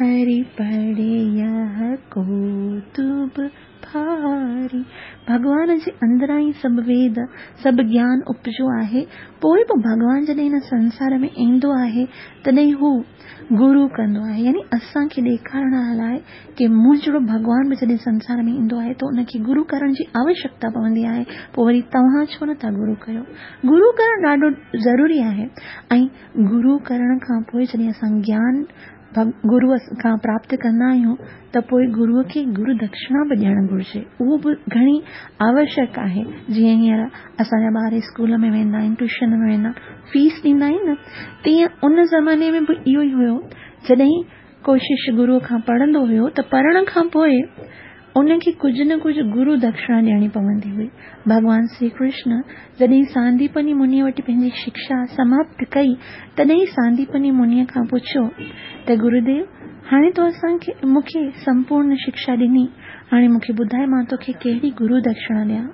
هري پڙهي يه ڪوتب ڀاري. ڀڳوان جي اندران ئي سڀ ويد، سڀ گيان اپجيو آهي. پوء به ڀڳوان جڏهن هن سنسار ۾ ايندو آهي، تڏهن هو گرو ڪندو آهي يعني اسان کي ڏيکارڻ لاء ڪي مون جهڙو ڀڳوان به جڏهن سنسار ۾ ايندو آهي ته ان کي گرو ڪرڻ جي آوشڪتا پوندي آهي پوء وري توهان ڇو نٿا گرو ڪيو گرو ڪرڻ ڏاڍو ضروري آهي ۽ گرو ڪرڻ کان پوء جڏهن اسان گيان گرو کان پراپت ڪندا آهيون ته پوء گروء کي گرو دڪشڻا به ڏيڻ گهرجي اهو به گهڻي آوشڪ آهي جيئن هينئر اسان جا ٻار اسڪول ۾ ويندا آهن ٽيوشن ۾ ويندا فيس ڏيندا آهن نه تيئن ان زماني ۾ به اهو ئي هيو جڏهن ڪو شش گروء کان پڙهندو هيو ته پڙهڻ کان پوء ان کي ڪجهه نه ڪجهه گرو دڪشڻا ڏيڻي پوندي هئي. ڀڳوان شري ڪرشن جڏهن سانديپني منيء وٽ پنهنجي شڪشا سماپت ڪئي، تڏهن سانديپني منيء کان پڇيو ته گروديو! هاڻي تو اسان کي مون کي سمپورن شڪشا ڏني، هاڻي مون کي ٻڌاء مان توکي ڪهڙي گرو دڪشڻا ڏيان؟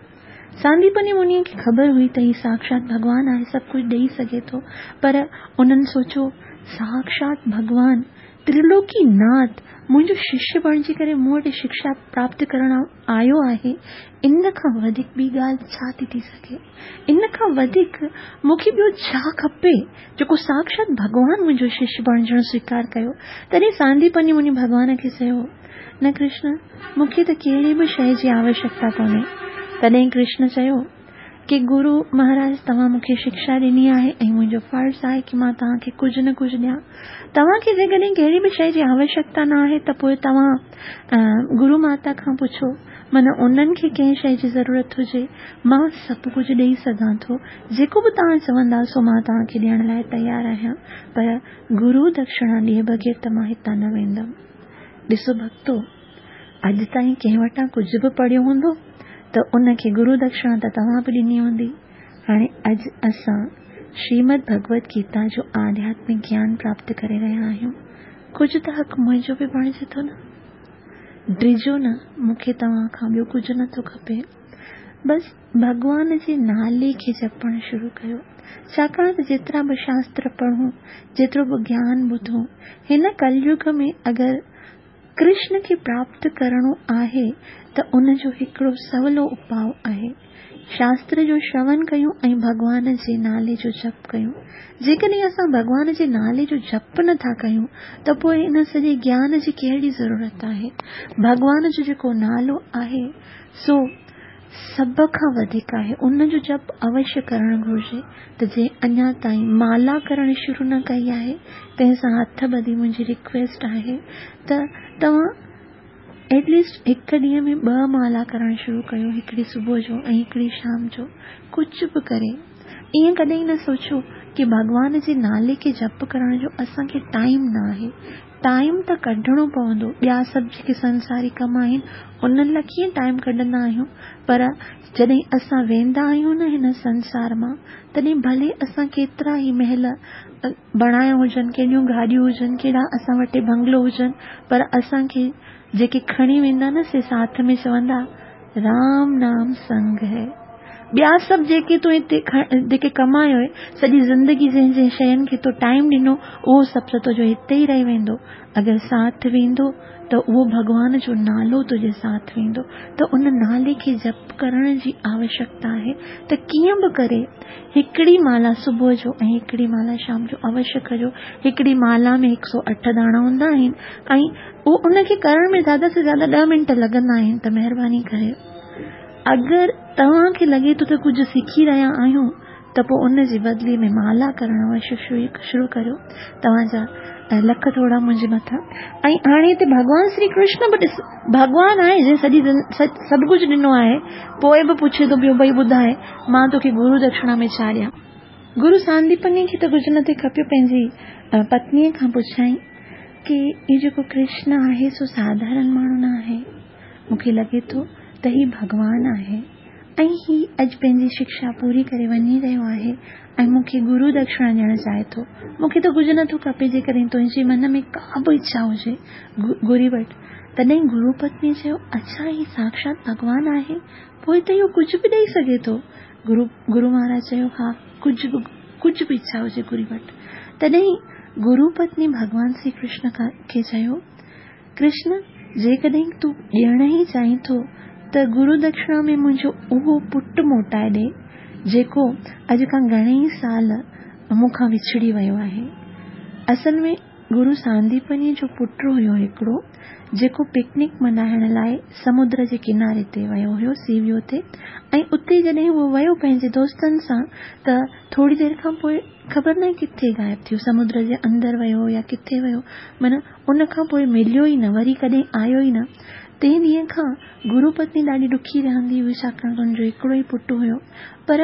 سانديپني منيء کي خبر هئي ته هي ساڪشات ڀڳوان آهي، سڀ ڪجهه ڏيئي سگهي ٿو، پر انهن سوچيو، ساڪشات ڀڳوان، ترلوڪي ناٿ، منهنجو ششيه بڻجي ڪري مون وٽ شڪشا پراپت ڪرڻ آيو آهي، ان کان وڌيڪ ٻي ڳالهه ڇا ٿي ٿي سگهي؟ ان کان وڌيڪ مون کي ٻيو ڇا کپي، جيڪو ساڪشات ڀڳوان منهنجو ششيه بڻجڻ سويڪار ڪيو. تڏهن سانديپني مني ڀڳوان کي چيو، نه ڪرشن، مون کي ته ڪهڙي به شيء جي آوشيڪتا ڪونهي. تڏهن ڪرشن چيو ڪي گرو مهاراج توهان مون کي شڪشا ڏني آهي ۽ منهنجو فرض آهي ڪي مان توهان کي ڪجهه نه ڪجهه ڏيان. توهان کي جيڪڏهن ڪهڙي به شيء جي آوشيڪتا نه آهي ته پوء توهان گرو ماتا کان پڇو، من انهن کي ڪنهن شيء جي ضرورت هجي، مان سڀ ڪجهه ڏيئي سگهان ٿو. جيڪو به توهان چوندا سو مان توهان کي ڏيڻ لاء تيار آهيان، پر گرو دڪشڻا ڏئي بغير ته مان هتان نه ويندم. ڏسو ڀڳتو! اڄ تائين ڪنهن وٽان ڪجهه به پڙهيو هوندو ته ان کي گرو دڪشڻا ته توهان به ڏني هوندي. هاڻي اڄ اسان شريمد ڀڳوت گيتا جو آڌياتمڪ گيان پراپت ڪري رهيا آهيون. ڪجهه ته حق منهنجو به بڻجي ٿو نه؟ ڊڄو نه، مون کي توهان کان ٻيو ڪجهه نه ٿو کپي. بس ڀڳوان جي نالي کي جپڻ شروع ڪيو. ڇاڪاڻ ته جيترا به شاستر پڙهون، جيترو به گيان ٻڌون، هن ڪليگ ۾ اگر ڪرشن کي پراپت ڪرڻو آهي ته ان جو هڪڙو سولو اپاء آهي. شاستر جو شرون ڪيون ۽ ڀڳوان جي نالي جو جپ ڪيون. جيڪڏهن اسان ڀڳوان جي نالي جو جپ نه ٿا ڪيون ته پوء ان سڄي گيان جي ڪهڙي ضرورت آهي؟ ڀڳوان جو جيڪو نالو آهي سو سڀ کان وڌيڪ آهي، ان جو جپ اوشيه ڪرڻ گهرجي ته جنهن اڃا تائين مالا ڪرڻ شروع نه ڪئي آهي، تنهن سان هٿ ٻڌي منهنجي رڪويسٽ آهي ته توهان ايٽ ليسٽ هڪ ڏينهن ۾ ٻه مالا ڪرڻ شروع ڪيو، هڪڙي صبح جو ۽ هڪڙي شام جو، ڪجهه به ڪري ائين ڪڏهن نه سوچيو ڪي ڀڳوان جي نالي کي جپ ڪرڻ جو اسان کي ٽائيم نه آهي، ٽائيم ته ڪڍڻو پوندو، ٻيا سڀ جيڪي سنساري ڪم آهن انهن لاء ڪيئن ٽائيم ڪڍندا آهيون پر جڏهن اسان ويندا آهيون نه هن سنسار مان تڏهن ڀلي اسان ڪيترا ئي محل بڻايا هجن، ڪيڏيون گاڏيون هجن، ڪيڏا اسان وٽ بنگلو هجن پر اسان کي جيڪي کڻي ويندا نه سي ساٿ ۾ چوندا رام نام سنگ هي. ٻيا سڀ جيڪي تو هتي جيڪي ڪمايو هي، سڄي زندگي جنهن جنهن شين کي تو ٽائيم ڏنو، اهو سڀ ته تنهنجو هتي ئي رهي ويندو. اگر ساٿ ويندو ته اهو ڀڳوان جو نالو تنهنجي ساٿ ويندو. ته ان نالي کي جپ ڪرڻ جي آوشڪتا آهي ته ڪيئن به ڪري هڪڙي مالا صبح جو ۽ هڪڙي مالا شام جو اوشيه ڪجو. هڪڙي مالا ۾ هڪ سو اٺ داڻا هوندا آهن ۽ اهو ان کي ڪرڻ ۾ زياده سي زياده ڏهه منٽ لڳندا آهن ته مهرباني ڪري اگر توهان کي لڳي ٿو ته ڪجهه سکي رهيا آهيون ته پوء ان جي بدلي ۾ مالا ڪرڻ اوشيه شروع ڪريو. توهان جا لک ٿورا منهنجي مٿان. ۽ هاڻي هتي ڀڳوان شري ڪرشن به ڏس ڀڳوان آهي جنهن سڄي سڀ ڪجهه ڏنو آهي پوء به پڇي ٿو پيو ڀئي ٻڌاء مان توکي گرو دڪشڻا ۾ ڇا ڏيان. گرو سانديپني کي ته ڪجهه نه ٿي کپيو پنهنجي پتنيء کان پڇيائين ڪي هي جيڪو ڪرشن آهي سو ساڌارڻ ماڻهو نه آهي. مون کي لڳي ٿو ته هي ڀڳوان آهي ۽ هي اڄ پنهنجي شڪشا پوري ڪري وڃي رهيو آهي ۽ مون کي گرو دڪشڻا ڏيڻ چاهي ٿو. مون کي ته ڪجهه نه ٿو کپي جيڪڏهن تنهنجي من ۾ ڪا به اڇا هجي گهري وٺ. تڏهن گرو پتني چيو، اڇا هي ساڪشات ڀڳوان آهي، پوء ته اهو ڪجهه به ڏئي سگهي ٿو. گرو مهاراج چيو، ها ڪجهه به ڪجهه به اڇا هجي گهري وٺ. تڏهن گرو پتني ڀڳوان شري ڪرشن کي چيو، ڪرشن، جيڪڏهن تون ڏيڻ ئي چاهين ٿو ته گرو دڪشڻا ۾ منهنجو اهو پٽ موٽائي ڏي، جيڪو اڄ کان گهڻيئي سال مون کان وڇڙي ويو آهي. اصل ۾ گرو سانديپني جو پٽ هيو هڪڙو، جيڪو پڪنڪ ملهائڻ لاء سمنڊ جي ڪناري تي ويو هيو، سي ويو تي، ۽ اتي جڏهن هو ويو پنهنجي دوستن سان ته ٿوري دير کان پوء خبر ناهي ڪٿي غائب ٿيو، سمنڊ جي اندر ويو يا ڪٿي ويو، معنيٰ ان کان پوء مليو ئي نه، وري ڪڏهن آيو ئي نه. تنهن ڏينهن کان گرو پتني ڏاڍي ڏکي رهندي هئي، ڇاڪاڻ ته هن جو هڪڙو ئي پٽ هيو. پر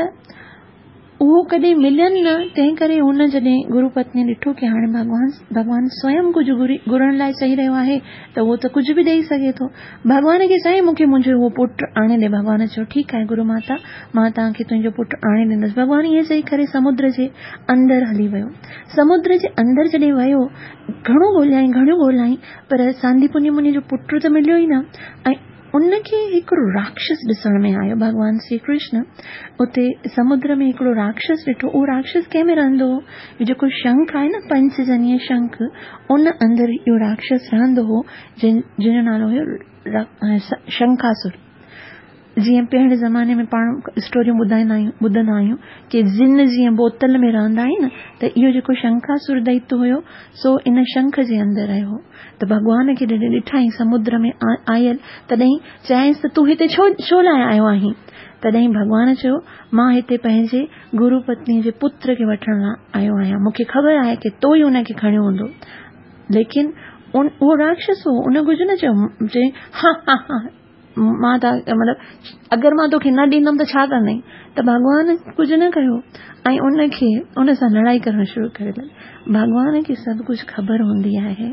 اهو ڪڏهن ملين نه، تنهن ڪري هن جڏهن گرو پتنيء ڏٺو ڪي هاڻي ڀڳوان ڀڳوان سويم ڪجهه گهري گهرڻ لاء چئي رهيو آهي ته اهو ته ڪجهه به ڏئي سگهي ٿو. ڀڳوان کي چيائين مون کي منهنجو اهو پٽ آڻي ڏي. ڀڳوان چيو ٺيڪ آهي گرو ماتا مان توهان کي تنهنجو پٽ آڻي ڏيندس. ڀڳوان ائين چئي ڪري سمنڊ جي اندر هلي ويو. سمنڊ جي اندر جڏهن ويو گهڻو ڳوليائين گهڻو ڳوليائين پر سانديپني مني جو پٽ ته مليو ئي نه ۽ ان کي هڪڙو راڪشس ڏسڻ ۾ آيو. ڀڳوان شري ڪرشن اتي سمنڊ ۾ هڪڙو راڪشس ڏٺو. اهو راڪشس ڪنهن ۾ رهندو هو؟ اهو جيڪو شنک آهي نه پنچجنيه شنک، ان اندر اهو راڪشس رهندو هو، جنهن جو نالو هيو شنکاسر. جيئن پهرين زماني ۾ پاڻ اسٽوريون ٻڌائيندا آهيون، ٻڌندا آهيون ڪي جن جيئن بوتل ۾ رهندا آهن ته اهو جيڪو شنکاسر دئت هيو سو ان شنک جي اندر رهيو هو. ته ڀڳوان کي جڏهن ڏٺائين سمنڊ ۾ آيل، تڏهن چيائينس ته تون هتي ڇو ڇو لاء آيو آهين؟ تڏهن ڀڳوان چيو، مان هتي پنهنجي گرو پتنيء جي پتر کي وٺڻ لاء آيو آهيان. مون کي خبر آهي ڪي تو ئي ان کي کڻيو هوندو. ليڪن اهو راڪشس هو، ان ڪجهه نه چيو. چيائين، ها ها ها! مان ته مطلب اگر مان توکي نه ڏيندم ته ڇا ڪندين؟ ته ڀڳوان ڪجهه نه ڪيو ۽ ان کي ان سان لڙائي ڪرڻ شروع ڪري ڏني. ڀڳوان کي سڀ ڪجهه خبر هوندي آهي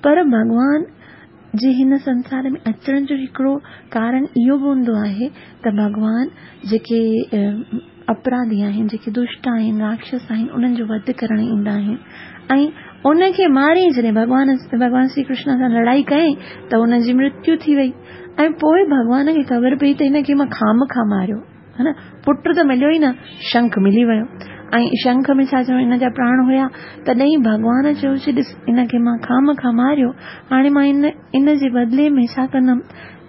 پر ڀڳوان جي هن سنسار ۾ اچڻ جو هڪڙو ڪارڻ اهو به هوندو آهي ته ڀڳوان جيڪي اپراڌي آهن، جيڪي دشٽ آهن، راڪشس آهن، انهن جو وڌ ڪرڻ ايندا آهن ۽ ان کي ماري جڏهن ڀڳوان ڀڳوان شري ڪرشن سان لڙائي ڪيائين ته ان جي مرتيو ٿي وئي ۽ پوء ڀڳوان کي خبر پئي ته هن کي مان خامخواه ماريو ها نه پٽ ته مليو ئي نه شنک ملي ويو ۽ شنک ۾ ڇا چيو ان جا پراڻ هيا تڏهن ڀڳوان چيو چې ڏس ان کي مان خامخواه ماريو هاڻي مان ان ان جي بدلي ۾ ڇا ڪندم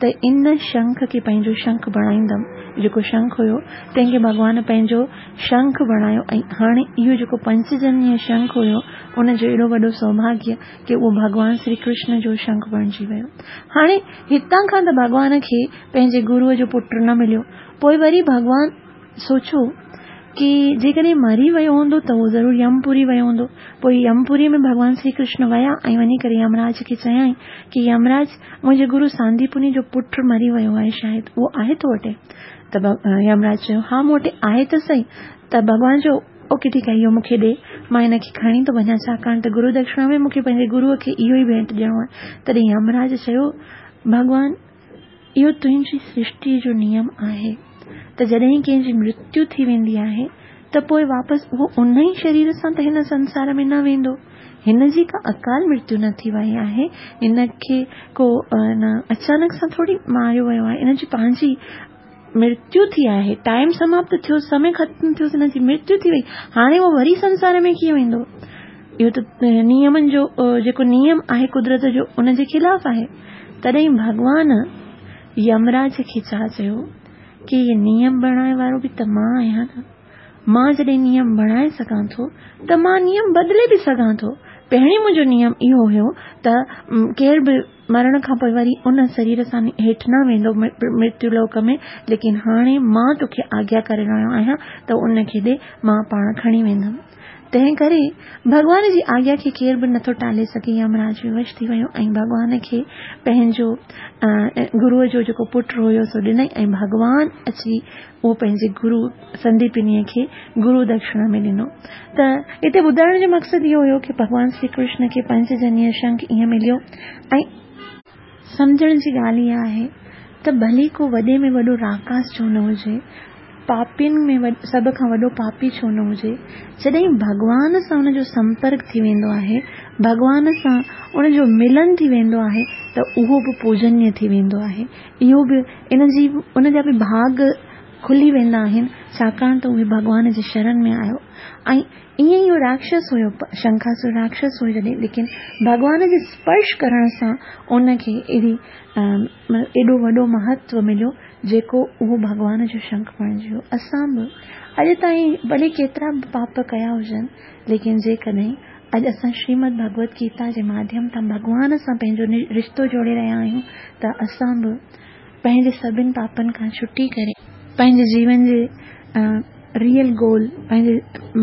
ته ان شنک کي پنهنجو شنک بڻائيندم. جيڪو شنک هيو، تنهن کي ڀڳوان پنهنجو شنک بڻايو ۽ هاڻي اهو جيڪو پنچجنيه شنک هيو، ان جو ايڏو وڏو سوڀاگيه ڪي اهو ڀڳوان شري ڪرشن جو شنک بڻجي ويو. هاڻي هتان کان ته ڀڳوان کي پنهنجي گروء جو پٽ نه مليو. پوء وري ڀڳوان سوچيو ڪي جيڪڏهن مري ويو هوندو ته اهو ضرور يمپوري ويو هوندو. پوء يمپوري ۾ ڀڳوان شري ڪرشن ويا ۽ وڃي ڪري يمراج کي چيائين ڪي يمراج منهنجي گرو سانديپني جو پٽ مري ويو آهي شايد اهو آهي تو وٽ؟ ته يمراج چيو ها مون وٽ آهي ته سهي. ته ڀڳوان چيو اوڪي ٺيڪ آهي اهو مون کي ڏي مان هن کي کڻي ٿو وڃان ڇاڪاڻ ته گرو دڪشڻا ۾ مون کي پنهنجي گروء کي اهو ئي ڀينٽ ڏيڻو آهي. تڏهن يمراج چيو ڀڳوان اهو تنهنجي سرشٽيء جو نيم آهي ته جڏهن ڪنهن جي مرتيو ٿي ويندي آهي ته پوء واپس اهو ان ئي شرير سان ته هن سنسار ۾ نه ويندو. هن جي ڪا اڪال مرتيو نه ٿي وئي آهي، هن کي ڪو اچانڪ سان ٿوري ماريو ويو آهي، هن جي پنهنجي مرتيو ٿي آهي، ٽائيم سماپت ٿيو، سمي ختم ٿيو، هن جي مرتيو ٿي وئي، هاڻي اهو وري سنسار ۾ ڪيئن ويندو؟ اهو ته نيمن جو جيڪو نيم آهي قدرت جو ان جي خلاف آهي. تڏهن ڀڳوان يمراج کي ڇا چيو ڪي هي نيم بڻائڻ وارو به ته مان آهيان نه. مان جڏهن نيم بڻائي سگهان ٿو ته مان نيم بدلي به سگهان ٿو. پهرين منهنجو نيم اهو هيو ته ڪير به مرڻ کان پوء وري ان شرير سان هيٺ نه ويندو مرتيو لوڪ ۾ ليڪن هاڻي مان توکي آگيا ڪري رهيو آهيان ته ان کي ڏي مان پاڻ کڻي ويندم. تنهن ڪري ڀڳوان جي آگيا کي ڪير به نٿو ٽالي سگهي. يمراج ووش ٿي ويو ۽ ڀڳوان کي پنهنجو گروء جو جيڪو پٽ هيو سو ڏنائين ۽ ڀڳوان اچي اهو پنهنجي گرو سنديپنيء کي گرو دڪشڻا ۾ ڏنو. ته هتي ٻڌائڻ جو مقصد اهو هيو ڪي ڀڳوان شري ڪرشن کي پنچجنيه شنک ائين مليو ۽ سمجهڻ جي ڳالهه اها آهي ته ڀلي ڪو وڏي ۾ وڏو راڪاس ڇو نه هجي، پاپين ۾ سڀ کان وڏو پاپي ڇو نه هجي، جڏهن ڀڳوان سان ان جو سمپرڪ ٿي ويندو آهي، ڀڳوان سان ان جو ملن ٿي ويندو آهي ته اهو به پوجنيه ٿي ويندو آهي. اهو به ان جي ان جا به ڀاڳ کلي ويندا آهن، ڇاڪاڻ ته اهي ڀڳوان جي شرن ۾ آيو ۽ ائين ئي اهو راڪشس هيو، شنکاسر راڪشس هيو جڏهن ليڪن ڀڳوان جي اسپرش ڪرڻ سان ان کي ايڏي ايڏو وڏو مهتو مليو جيڪو اهو ڀڳوان جو شنک بڻجي ويو. اسان به اڄ تائين ڀلي ڪيترا به پاپ ڪيا هجن ليڪن جيڪڏهن اڄ اسان شريمد ڀڳوت گيتا جي ماڌيم تان ڀڳوان سان پنهنجو رشتو جوڙي رهيا آهيون ته اسان به پنهنجي سڀن پاپن کان ڇٽي ڪري پنهنجي جيون جي ريئل گول پنهنجي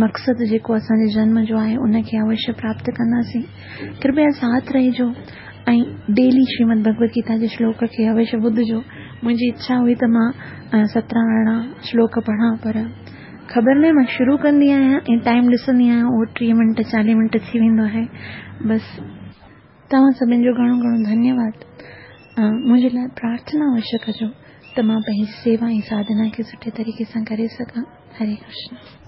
مقصد جيڪو اسان جي جنم جو آهي ان کي اوشيه پراپت ڪنداسين. ڪرپيا ساٿ رهجو ۽ ڊيلي شريمد ڀڳوت گيتا جي شلوڪ کي اوشيه ٻڌجو. منهنجي اڇا هئي ته مان 17 18 شلوڪ پڙهان پر خبر ناهي مان شروع ڪندي آهيان ۽ ٽائيم ڏسندي آهيان اهو 30 منٽ 40 منٽ ٿي ويندو آهي. بس توهان سڀن جو گهڻو گهڻو ڌنيواد. منهنجي لاء پرارٿنا اوشيه ڪجو ته مان پنهنجي سيوا ۽ ساڌنا کي سٺي طريقي سان ڪري سگهان. هري ڪرشن.